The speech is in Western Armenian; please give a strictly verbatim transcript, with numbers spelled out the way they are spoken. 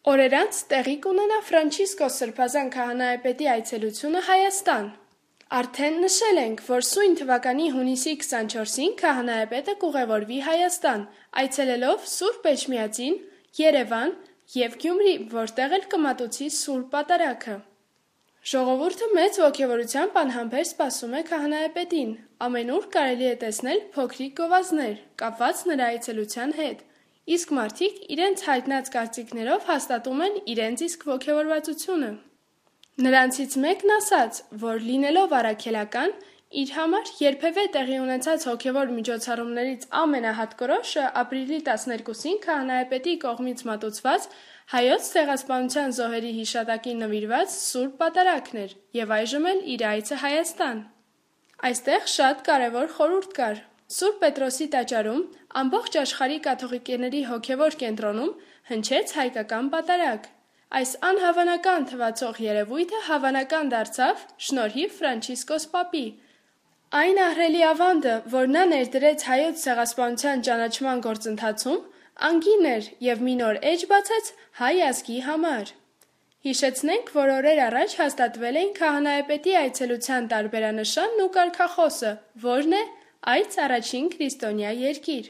Օրեր անց տեղի կ'ունենայ Ֆրանչիսկոս Սրբազան քահանայապետի այցելութիւնը Հայաստան։ Արդէն նշել ենք, որ սոյն թուականի յունիսի քսանչորսին քահանայապետը կ'ուղեւորուի Հայաստան, այցելելով Սուրբ Էջմիածին, Երեւան եւ Գիւմրի, որտեղ էլ կը մատուցի Սուրբ Պատարագը։ Ժողովուրդը մեծ ոգեւորութեամբ անհամբեր սպասում է քահանայապետին։ Ամենուր կարելի է տեսնել փոքրիկ գովազներ՝ կապուած նրա այցելութեան հետ, իսկ մարդիկ իրենց յայտնած կարծիքներով հաստատում են իրենց իսկ ոգեւորվածութիւնը։ Նրանցից մէկն ասաց, որ, լինելով առաքելական, իր համար երբեւէ տեղի ունեցած հոգեւոր միջոցառումներից ամենահատկորոշը ապրիլի տասներկուսին քահանայապետի կողմից մատուցուած Հայոց ցեղասպանութեան զոհերի յիշատակին նուիրուած Սուրբ Պատարագն էր եւ այժմ էլ իր այցը Հայաստան։ Այստեղ շատ կարեւոր խորհուրդ կար։ Սուրբ Պետրոսի տաճարում, ամբողջ աշխարհի կաթողիկեների հոգեւոր կենտրոնում, հնչեց հայկական պատարագ։ Այս անհաւանական թուացող երեւոյթը հաւանական դարձաւ շնորհիւ Ֆրանչիսկոս Պապի։ Այն ահռելի աւանդը, որ նա ներդրեց Հայոց ցեղասպանութեան ճանաչման գործընթացում, անգին էր եւ մի նոր էջ բացեց հայ ազգի համար։ Յիշեցնենք, որ օրեր առաջ հաստատվել էին քահանայապետի այցելութեան տարբերանշանն ու կարգախօսը, որն է՝ «Այց առաջին քրիստոնեայ երկիր»։